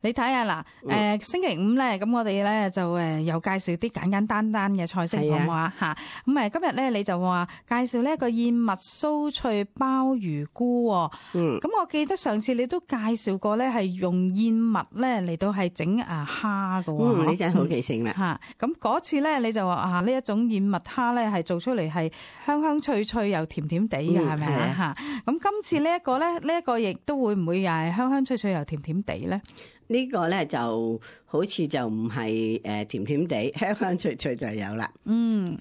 你睇下嗱，星期五咧，咁我哋咧就又介紹啲簡單嘅菜式，好唔好啊？嚇，咁今日咧你就話介紹呢一個燕麥酥脆鮑魚菇喎。咁我記得上次你都介紹過咧，係用燕麥咧嚟到係整蝦㗎喎。你真係好記性啦。嚇，咁嗰次咧你就話呢一種燕麥蝦咧係做出嚟係香香脆脆又甜甜地嘅，係咪啊？嚇，咁今次呢一個咧，呢一個亦都會唔會又係香香脆脆又甜甜地咧？呢個咧就好似就唔係甜甜地，香香脆脆就有啦。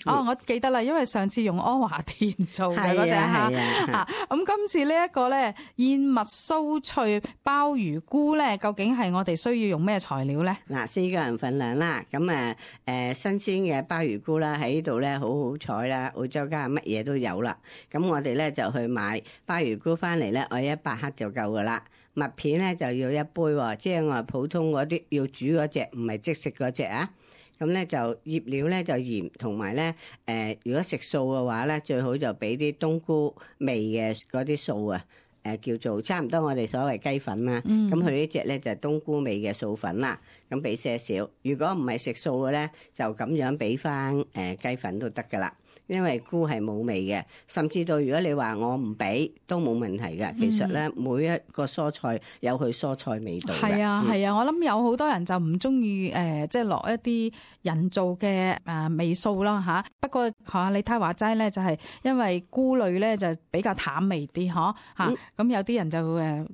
我記得啦，因為上次用阿華田做嘅嗰隻蝦，咁今次呢一個咧燕麥酥脆鮑魚菇咧，究竟係我哋需要用咩材料咧？嗱，4個人份量啦，咁新鮮嘅鮑魚菇啦，喺呢度咧好好彩啦，澳洲家乜嘢都有啦。咁我哋咧就去買鮑魚菇翻嚟咧，我100克就夠噶啦。麥片咧就要1杯喎，即係我普通嗰啲要煮嗰隻，唔係即食嗰隻啊。咁咧就醃料咧就鹽，同埋咧如果食素嘅話咧，最好就俾啲冬菇味嘅嗰啲素啊，叫做差唔多我哋所謂雞粉啦。咁佢呢隻咧就係冬菇味嘅素粉啦，咁俾些少。如果唔係食素嘅咧，就咁樣俾翻雞粉都得噶啦。因為菇係冇味嘅，甚至到如果你話我唔俾都冇問題嘅。其實咧，每一個蔬菜有佢蔬菜味道嘅。係啊，我諗有好多人就唔中意即係落一啲人造嘅味素啦嚇。不過你睇話齋咧，就係因為菇類咧就比較淡味啲嚇。咁有啲人就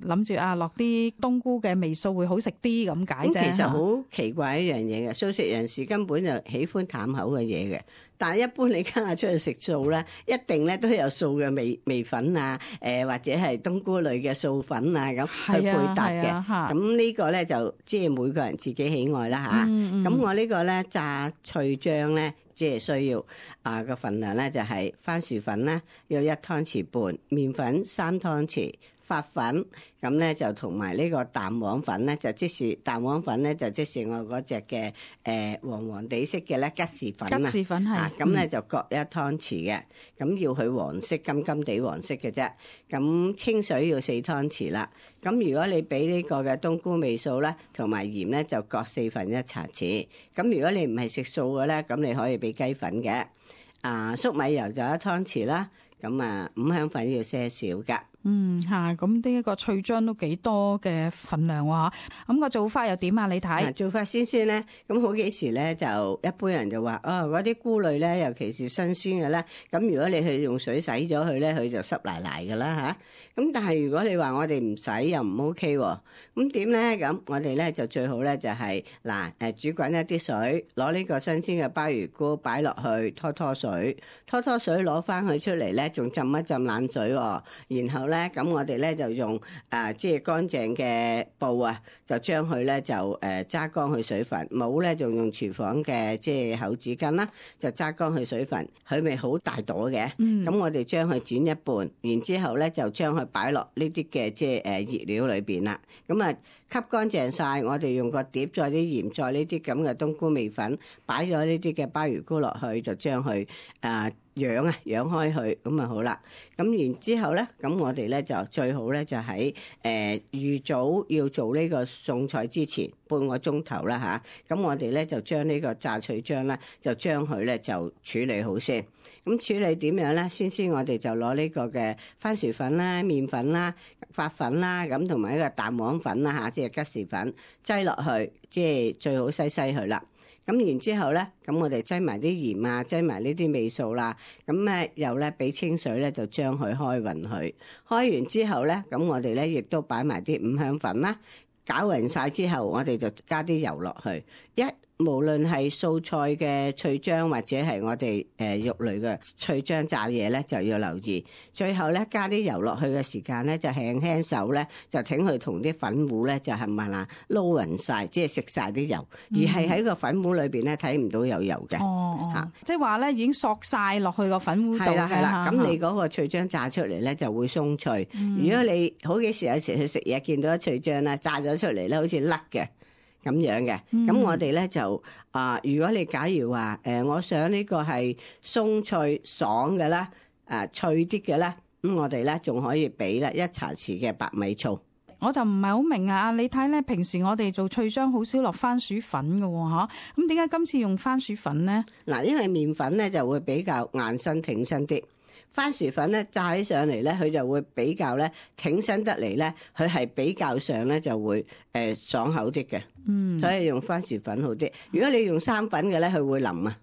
諗住落啲冬菇嘅味素會好食啲咁解啫。其實好奇怪一樣嘢嘅，素食人士根本就喜歡淡口嘅嘢嘅。但係一般你家下出去食素咧，一定咧都有素嘅味粉啊，或者係冬菇類嘅素粉啊咁去配搭嘅。咁呢個咧就即係每個人自己喜愛啦嚇。咁我呢個咧炸脆漿咧，即係需要個份量咧就係番薯粉啦，要1湯匙半，麵粉3湯匙。發粉咁咧就同埋呢個蛋黃粉咧，就即是蛋黃粉咧，就即是我嗰隻嘅黃黃地色嘅咧吉士粉啊。吉士粉係咁咧就各1湯匙嘅，咁要佢黃色金金地黃色嘅啫。咁清水要4湯匙啦。咁如果你俾呢個嘅冬菇味素咧，同埋鹽咧，就各1/4茶匙。咁如果你唔係食素嘅咧，咁你可以俾雞粉嘅。粟米油就1湯匙啦。咁五香粉要些少噶。咁呢一個脆漿都幾多嘅份量喎。咁個做法又點啊？你睇做法先咧，咁好幾時咧就一般人就話嗰啲菇類咧，尤其是新鮮嘅咧，咁如果你去用水洗咗佢咧，佢就濕賴賴噶啦嚇。咁但係如果你話我哋唔洗又唔 OK 喎，咁點咧？咁我哋咧就最好咧就係煮滾一啲水，攞呢個新鮮嘅鮑魚菇擺落去拖水攞翻佢出嚟咧，仲浸一浸冷水喎，然後咧。咁我哋咧就用即係乾淨嘅布啊，就將佢咧就揸乾佢水分，冇咧就用廚房嘅即係厚紙巾啦，就揸乾佢水分，佢咪好大朵嘅。咁我哋將佢剪一半，然之後咧就將佢擺落呢啲嘅即係熱料裏邊啦。咁吸乾淨晒，我哋用個碟再啲鹽，再呢啲咁嘅冬菇味粉，擺咗呢啲嘅鮑魚菇落去，就將佢養開佢，咁啊好啦。咁然之後咧，咁我哋咧就最好咧就喺預早要做呢個餸菜之前半個鐘頭啦嚇。咁我哋咧就將呢個炸脆漿咧，就將佢咧就處理好先。咁處理點樣咧？先我哋就攞呢個嘅番薯粉啦、麵粉啦、發粉啦，咁同埋呢個蛋黃粉啦嚇，即係吉士粉擠落去，即係最好篩佢啦。咁然之後咧，咁我哋擠埋啲鹽啊，擠埋呢啲味素啦，咁咧又咧俾清水咧就將佢開勻佢，開完之後咧，咁我哋咧亦都擺埋啲五香粉啦，攪勻晒之後，我哋就加啲油落去，無論係素菜嘅脆漿或者係我哋肉類嘅脆漿炸嘢咧，就要留意。最後咧加啲油落去嘅時間咧，就輕輕手咧就挺佢同啲粉糊咧就係咪啦撈勻晒，即係食晒啲油，而係喺個粉糊裏邊咧睇唔到有油嘅。即係話咧已經索晒落去個粉糊度。係啦，咁你嗰個脆漿炸出嚟咧就會鬆脆。如果你好幾時有時去食嘢見到啲脆漿咧炸咗出嚟咧，好似甩嘅。咁樣嘅，咁我哋咧就如果你假如話我想呢個係鬆脆爽嘅啦，脆啲嘅啦，咁我哋咧仲可以俾啦1茶匙嘅白米醋。我就唔係好明啊！你睇咧，平時我哋做脆漿好少落番薯粉㗎喎，嚇，咁點解今次用番薯粉咧？嗱，因為麵粉咧就會比較硬身挺身啲，番薯粉咧炸起上嚟咧，佢就會比較咧挺身得嚟咧，佢係比較上咧就會爽口啲嘅。所以用番薯粉好啲。如果你用生粉嘅咧，佢會腍啊。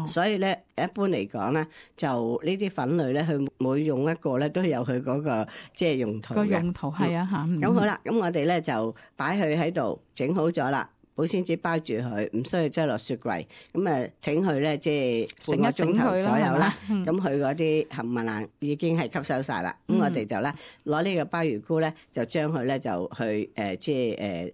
所以咧一般嚟講咧，就呢啲粉類咧，佢每用一個咧都有佢嗰個即係用途嘅。個用途係啊嚇。咁好啦，咁我哋咧就擺佢喺度整好咗啦。保鮮紙包住佢，唔需要擠落雪櫃。咁啊，整佢咧，即係半個鐘頭左右啦。咁佢嗰啲冚唪唥已經係吸收晒啦。咁我哋就咧攞呢個鮑魚菇咧，就將佢咧就去即係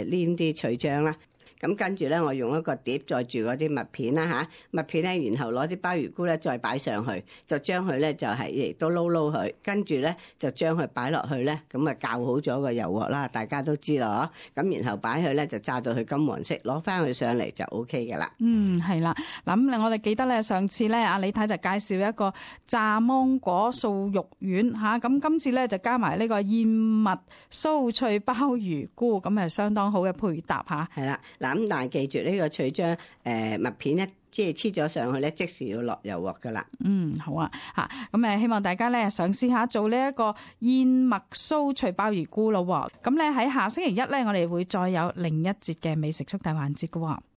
黏啲脆漿啦。咁跟住咧，我用一個碟載住嗰啲麥片啦嚇，麥片咧，然後攞啲鮑魚菇咧再擺上去，就將佢咧就係亦都撈佢，跟住咧就將佢擺落去咧，咁啊較好咗個油鑊啦，大家都知啦嗬。咁然後擺去咧就炸到佢金黃色，攞翻佢上嚟就 OK 嘅啦。係啦。嗱咁我哋記得咧，上次咧阿李太就介紹一個炸芒果素肉丸嚇，咁今次咧就加埋呢個燕麥酥脆鮑魚菇，咁係相當好嘅配搭嚇。係啦。嗱咁，但係記住呢個脆漿麥片咧，即係黐咗上去咧，即時要落油鑊噶啦。好啊嚇，咁希望大家咧嘗試下做呢一個燕麥酥脆鮑魚菇咯。咁咧喺下星期一咧，我哋會再有另一節嘅美食速遞環節噶。